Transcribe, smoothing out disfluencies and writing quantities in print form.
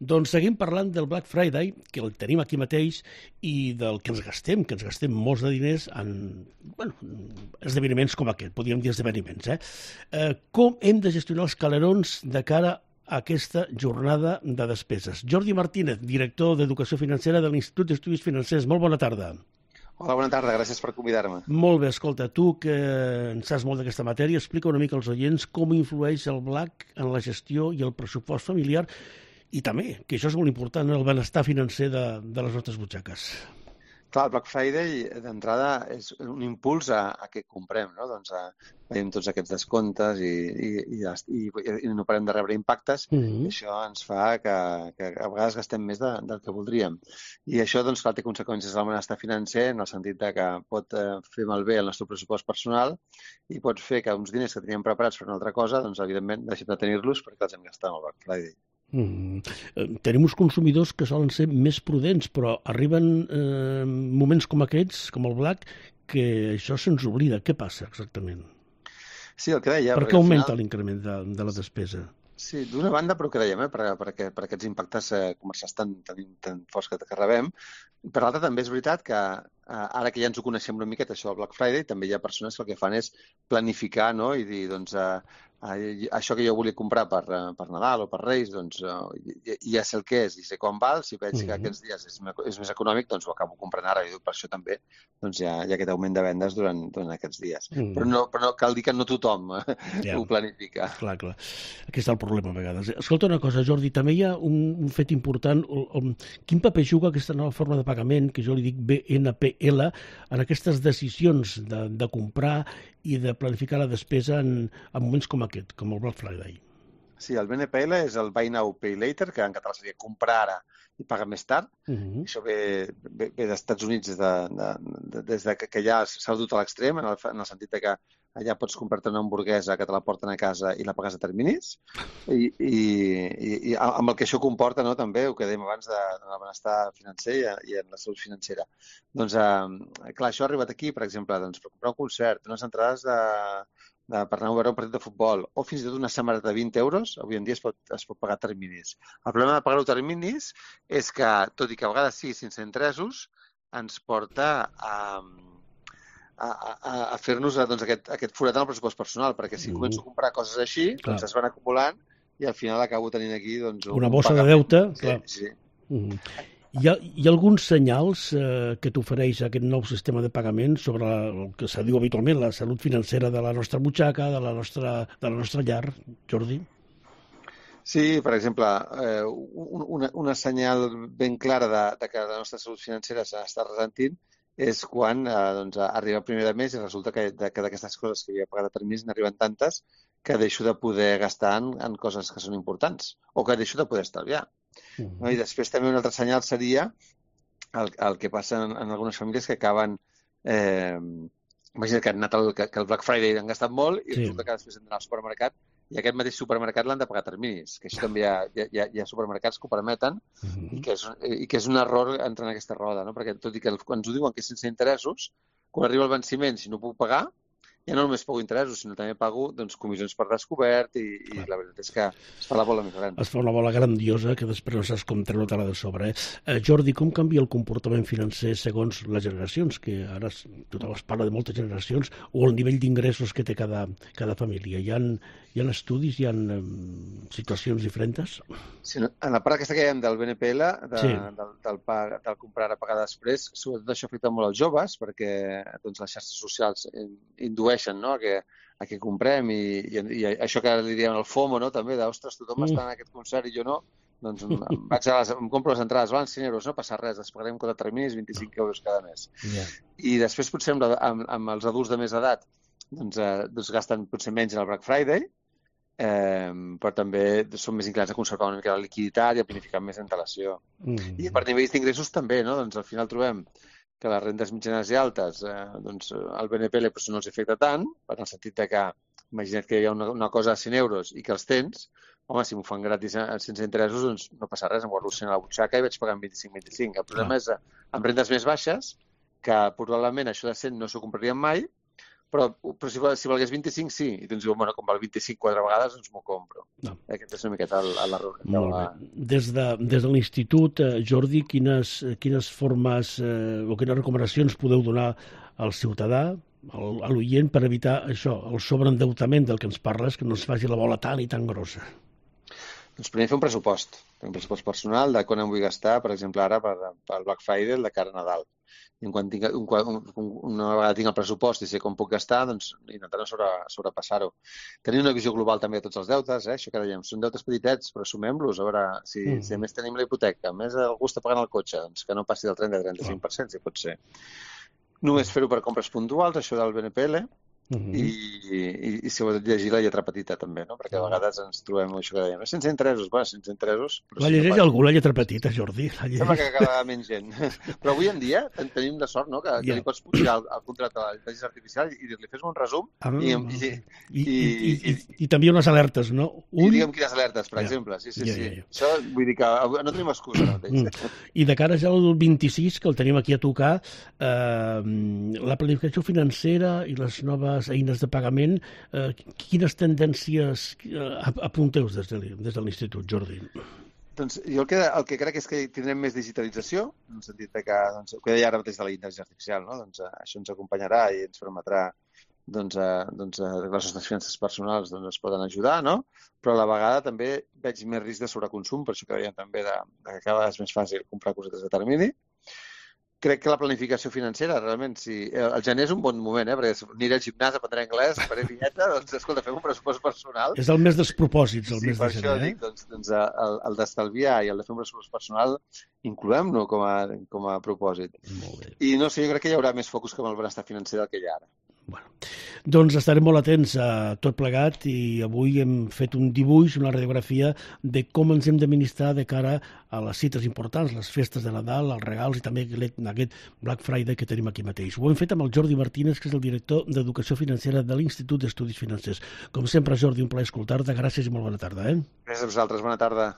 Doncs seguim parlant del Black Friday, que el tenim aquí mateix, i del que ens gastem molts de diners en esdeveniments com aquest, podríem dir esdeveniments. Com hem de gestionar els calerons de cara a aquesta jornada de despeses? Jordi Martínez, director d'Educació Financera de l'Institut d'Estudis Financers. Molt bona tarda. Hola, bona tarda, gràcies per convidar-me. Molt bé, escolta, tu que en saps molt d'aquesta matèria, explica una mica als oients com influeix el Black en la gestió i el pressupost familiar i també, que això és molt important, el benestar financer de les nostres butxaques. Clar, el Black Friday, d'entrada, és un impuls a què comprem, no? Doncs veiem tots aquests descomptes i no parem de rebre impactes, i això ens fa que a vegades gastem més del que voldríem. I això, doncs, clar, té conseqüències al benestar financer, en el sentit que pot fer malbé el nostre pressupost personal i pot fer que uns diners que teníem preparats per una altra cosa, doncs, evidentment, deixem de tenir-los perquè els hem gastat en el Black Friday. Tenim uns consumidors que solen ser més prudents, però arriben moments com aquests, com el Black, que això se'ns oblida. Què passa exactament? Sí, el que deia... Per què augmenta l'increment de la despesa? Sí, d'una banda, però que dèiem, per aquests impactes comercials tan forts que rebem. Per l'altra, també és veritat que ara que ja ens ho coneixem una miqueta, això del Black Friday, també hi ha persones que el que fan és planificar, no? I dir, doncs, això que jo volia comprar per Nadal o per Reis, doncs ja sé el que és i sé quan val. Si veig que aquests dies és més econòmic, doncs ho acabo comprant ara. I per això també doncs, hi ha aquest augment de vendes durant aquests dies. Però no cal dir que no tothom ho planifica. Clar. Aquí està el problema a vegades. Escolta una cosa, Jordi, també hi ha un fet important. Quin paper juga aquesta nova forma de pagament, que jo li dic BNPL, en aquestes decisions de comprar i de planificar la despesa en moments com aquest, com el Black Friday? Sí, el BNPL és el Buy Now, Pay Later, que en català seria comprar ara i pagar més tard. Això ve dels Estats Units des que ja s'ha dut a l'extrem, en el sentit que allà pots comprar-te una hamburguesa que te la porten a casa i la pagues a terminis. I amb el que això comporta, no, també, el que dèiem abans del benestar financer i en la salut financera. Doncs, clar, això ha arribat aquí, per exemple, doncs, per comprar un concert, unes entrades per anar a veure un partit de futbol, o fins i tot una samarreta de 20 euros, avui en dia es pot pagar a terminis. El problema de pagar-ho a terminis és que, tot i que a vegades sí, sense interessos, ens porta a fer-nos doncs, aquest forat en el pressupost personal, perquè si començo a comprar coses així, doncs es van acumulant i al final acabo tenint aquí doncs, una bossa de deute. Clar. Sí. Hi ha alguns senyals que t'ofereix aquest nou sistema de pagament sobre el que se diu habitualment la salut financera de la nostra butxaca, de la nostra llar, Jordi? Sí, per exemple, una senyal ben clara de que la nostra salut financera s'està ressentint és quan arriba el primer de mes i resulta que d'aquestes coses que havia pagat a terminis n'arriben tantes que deixo de poder gastar en coses que són importants o que deixo de poder estalviar. No? I després també un altre senyal seria el que passa en algunes famílies que acaben... Imagina't que han anat que el Black Friday han gastat molt i resulta que després han d'anar al supermercat i aquest mateix supermercat l'han de pagar a terminis, que això també hi ha supermercats que ho permeten i que és un error entrar en aquesta roda, no? Perquè tot i que ens ho diuen que és sense interessos, quan arriba el venciment, si no puc pagar, ja no només pago interessos, sinó també pago comissions per descobert i la veritat és que es fa la bola més gran. Es fa una bola grandiosa que després no saps com treure-te-la de sobre. Jordi, com canvia el comportament financer segons les generacions? Que ara tothom es parla de moltes generacions, o el nivell d'ingressos que té cada família. Hi ha estudis, hi ha situacions diferents? Sí, en la part aquesta que dèiem del BNPL, del comprar a pagar després, sobretot això afecta molt als joves, perquè les xarxes socials indueixen, no?, a que comprem i això que li diem el FOMO, no?, també, d'ostres, tothom està en aquest concert i jo no, doncs em compro les entrades, valen 100 euros, no passa res, les pagarem cada terminis 25 euros cada mes. I després potser amb els adults de més edat doncs gasten potser menys en el Black Friday, però també són més inclinats a conservar una mica la liquiditat i a planificar més antelació. I per nivells d'ingressos també, no? Doncs al final trobem que les rendes mitjanes i altes, doncs el BNPL no els afecta tant, en el sentit que imagina't que hi ha una cosa a 100 euros i que els tens, home, si m'ho fan gratis sense interessos, doncs no passa res, em guardo 100 a la butxaca i vaig pagant 25. El problema és amb rendes més baixes, que probablement això de 100 no s'ho comprarien mai, però si valgués 25, sí. I tu ens diuen, bueno, com val 25 4 vegades, doncs m'ho compro. No. Aquest és una miqueta l'error. Molt bé. Des de l'Institut, Jordi, quines formes o quines recomanacions podeu donar al ciutadà, a l'oient, per evitar això, el sobreendeutament del que ens parles, que no es faci la bola tan i tan grossa? Doncs primer fer un pressupost personal de quan em vull gastar, per exemple, ara pel Black Friday, de cara a Nadal. I una vegada tinc el pressupost i sé com puc gastar, doncs intentar no sobrepassar-ho. Tenir una visió global també de tots els deutes, això que dèiem, són deutes petitets, però sumem-los, a veure si a més tenim la hipoteca, a més algú està pagant el cotxe, doncs que no passi del 30-35%, si pot ser. Només fer-ho per compres puntuals, això del BNPL, i si vol llegir la lletra petita també, no? Perquè a vegades ens trobem això que dèiem, sense interessos, bueno, sense interessos... La llegeix algú, la lletra petita, Jordi? Sembla que cada menys gent. Però avui en dia tenim la sort, no?, que li pots pujar el contracte a l'intel·ligència artificial i dir-li, fes un resum i també unes alertes, no? I digue'm quines alertes, per exemple. Sí. Això vull dir que no tenim excusa. I de cara ja al 26, que el tenim aquí a tocar, la planificació financera i les noves eines de pagament, quines tendències apunteu des de l'Institut, Jordi? Doncs jo el que crec és que tindrem més digitalització, en el sentit que, el que deia ara mateix de la intel·ligència artificial, no? Doncs això ens acompanярà i ens permetrà les nostres finances personals es poden ajudar, no? Però a la vegada també veig més risc de sobreconsum, per això que dèiem també que cada vegada és més fàcil comprar cosetes de termini. Crec que la planificació financera, realment, el gener és un bon moment, perquè aniré al gimnàs, aprendré anglès, faré vinyeta, doncs, escolta, fem un pressupost personal. És el mes dels propòsits, el mes de gener. Sí, per això dic, doncs el d'estalviar i el de fer un pressupost personal, incloem-lo com a propòsit. Molt bé. I no sé, jo crec que hi haurà més focus que amb el benestar financer del que hi ha ara. Bueno, doncs estarem molt atents a tot plegat i avui hem fet un dibuix, una radiografia de com ens hem d'administrar de cara a les cites importants, les festes de Nadal, els regals i també aquest Black Friday que tenim aquí mateix. Ho hem fet amb el Jordi Martínez, que és el director d'Educació Financera de l'Institut d'Estudis Financers. Com sempre, Jordi, un plaer escoltar-te. Gràcies i molt bona tarda. Gràcies a vosaltres. Bona tarda.